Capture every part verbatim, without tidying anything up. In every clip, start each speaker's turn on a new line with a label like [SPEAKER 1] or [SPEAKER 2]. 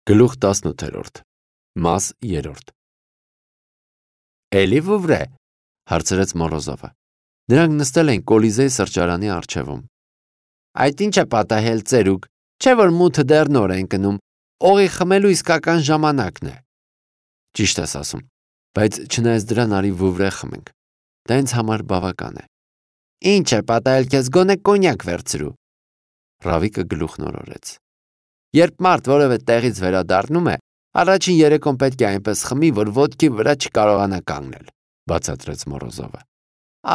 [SPEAKER 1] Գլուխ տասնութերորդ Մաս երրորդ Էլի Վուվրե, հարցրեց Մորոզովը։ Նրանք նստել էին Կոլիզեի սրճարանի առջևում։ Այդ ինչ է պատահել, ծերուկ, չէ որ մութը դեռ նոր են գնում, օղի խմելու իսկական ժամանակն է։ Ճիշտ ես ասում, բայց չնայած դրան արի Վուվրե խմենք։ Դա ինձ համար բավական է։ Ինչ է պատահել, քեզ գոնե կոնյակ վերցրու։ Ռավիկը գլուխ նորորեց։ Երբ մարդ որևէ տեղից վերադառնում է, առաջին երեկոն պետք է այնպես խմի, որ ոտքի վրա չկարողանա կանգնել, բացատրեց Մորոզովը։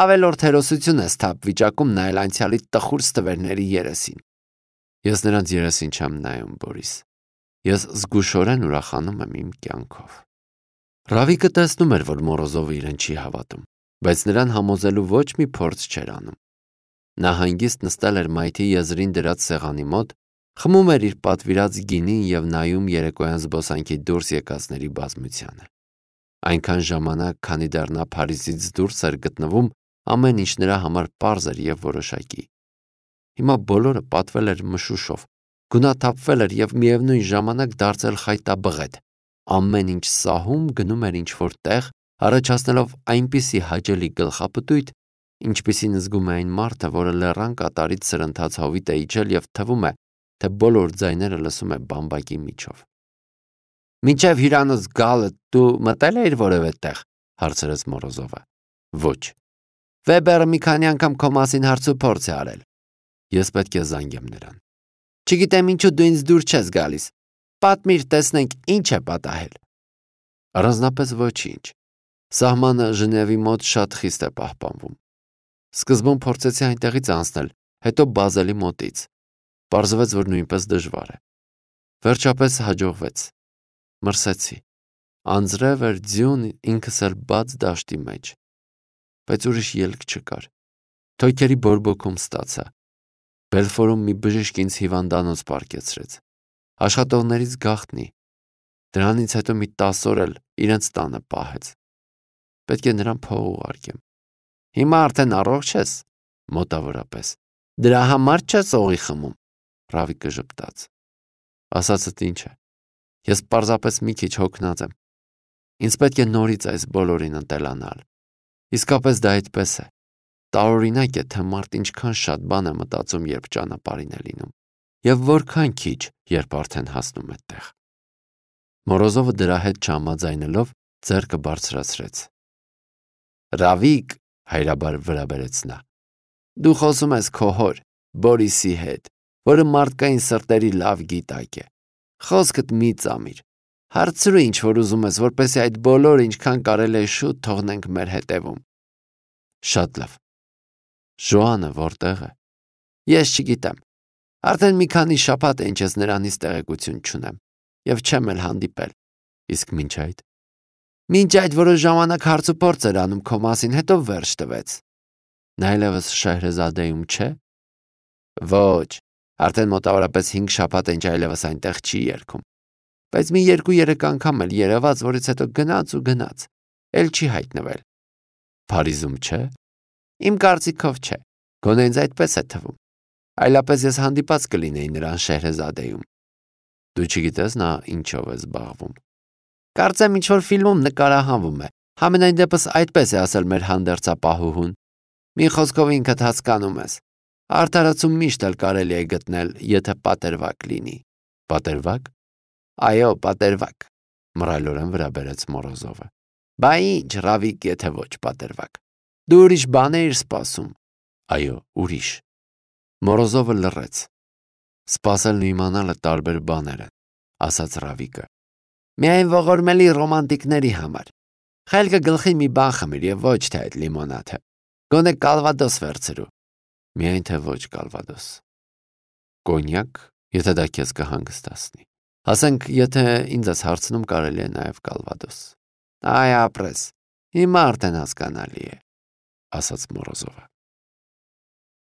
[SPEAKER 1] Ավելորդ հերոսություն է սթափ վիճակում նայել անցյալի տխուր ստվերների երեսին։ Ես նրանց երեսին չեմ նայում, Բորիս։ Ես զգուշորեն ուրախանում եմ իմ կյանքով։ Ռավիկը տեսնում էր, որ Մորոզովը իրեն չի հավատում, բայց նրան համոզելու ոչ մի փորձ չէր անում։ Նա հանգիստ նստել էր մայթի եզրին դրած սեղանի մոտ, խմում էր իր պատվիրած գինին և նայում երեկոյան զբոսանքի դուրս եկածների բազմությանը։ Այնքան ժամանակ, քանի դեռ նա Փարիզից դուրս էր գտնվում, ամեն ինչ նրա համար պարզ էր և որոշակի։ Հիմա բոլորը պատվել էր մշուշով, գունաթափվել էր և միևնույն ժամանակ դարձել խայտաբղետ։ Ամեն ինչ սահում գնում էր ինչ-որ տեղ, առաջացնելով այնպիսի հաճելի գլխապտույտ, ինչպիսին զգում է այն մարդը, որը լեռան կատարից սրընթաց հովիտ է իջել և թվում է, թե բոլոր ձայները լսում է բամբակի միջով։ Մինչև հյուրանոց գալը դու մտել էիր որևէ տեղ, հարցրեց Մորոզովը։ Ոչ։ Վեբերը մի քանի անգամ քո մասին հարցուփորձ է արել։ Ես պետք է զանգեմ նրան։ Չգիտեմ ինչու դու ինձ դուր չես գալիս։ Պատմիր, տեսնենք ինչ է պատահել։ Առանձնապես ոչինչ։ Սահմանը Ժնևի մոտ շատ խիստ է պահպանվում։ Սկզբում փորձեցի այնտեղից անցնել, հետո Բազելի մոտից։ Պարզվեց, որ նույնպես դժվար է։ Վերջապես հաջողվեց։ Մրսեցի։ Անձրև էր ձյուն, ինքս էլ բաց դաշտի մեջ։ Բայց ուրիշ ելք չկար։ Թոքերի բորբոքում ստացա։ Բելֆորում մի բժիշկ ինձ հիվանդանոց պարկեցրեց։ Աշխատողներից գաղտնի։ Դրանից հետո մի տասը օր էլ իրենց տանը պահեց։ Պետք է նրան փող ուղարկեմ։ Հիմա արդեն առողջ ես, մոտավորապես։ Դրա համար չես օղի խմում։ Ռավիկը ժպտաց։ Ասածդ ինչ է։ Ես պարզապես մի քիչ հոգնած եմ։ Ինձ պետք է նորից այս բոլորին ընտելանալ։ Իսկապես դա այդպես է։ Տարօրինակ է, թե մարդ ինչքան շատ բան է մտածում, երբ ճանապարհին է լինում, և որքան քիչ, երբ արդեն հասնում է տեղ։ Մորոզովը դրա հետ չհամաձայնելով ձեռքը բարձրացրեց։ Ռավիկ, հայրաբար վրա բերեց նա։ Դու խոսում ես քո հոր, Բորիսի հետ, որը մարդկային սրտերի լավ գիտակ է։ Խոսքդ մի ծամիր։ Հարցրու ինչ որ ուզում ես, որպեսզի այդ բոլորը ինչքան կարելի է շուտ թողնենք մեր հետևում։ Շատ լավ։ Ժոանը որտեղ է։ Ես չգիտեմ։ Արդեն մի քանի շաբաթ է ինչ ես նրանից տեղեկություն չունեմ, և չեմ էլ հանդիպել։ Իսկ մինչ այդ։ Մինչ այդ որոշ ժամանակ հարցուփորձ էր անում քո մասին, հետո վերջ տվեց։ Նա այլևս Շահրեզադեում չէ։ Ոչ, արդեն մոտավորապես հինգ շաբաթ է ինչ այլևս այնտեղ չի երգում։ Բայց մի երկու-երեք անգամ էլ երևաց, որից հետո գնաց ու գնաց, էլ չի հայտնվել։ Փարիզում չէ։ Իմ կարծիքով չէ, գոնե ինձ այդպես է թվում։ Այլապես ես հանդիպած կլինեի նրան Շահրեզադեում։ Դու չգիտես նա ինչով է զբաղվում։ Կարծեմ ինչ-որ ֆիլմում նկարահանվում է, համենայն դեպս այդպես է ասել մեր հանդերձապահուհուն։ Մի խոսքով ինքդ հասկանում ես։ Արդարացում միշտ էլ կարելի է գտնել, եթե պատերվակ լինի։ Պատերվակ։ Այո, պատերվակ, մռայլորեն վրա բերեց Մորոզովը։ Բա ինչ, Ռավիկ, եթե ոչ պատերվակ։ Դու ուրիշ բան էիր սպասում։ Այո, ուրիշ։ Մորոզովը լռեց։ Սպասելն ու իմանալը տարբեր բաներ են, ասաց Ռավիկը։ Միայն ողորմելի ռոմանտիկների համար։ Խելքը գլխի մի բան խմիր և ոչ թե այդ լիմոնադը։ Գոնե կալվադոս վերցրու։ Միայն թե ոչ կալվադոս։ Կոնյակ, եթե դա քեզ կհանգստացնի։ Ասենք, եթե ինձ ես հարցնում, կարելի է նաև կալվադոս։ Այ ապրես, հիմա արդեն հասկանալի է, ասաց Մորոզովը։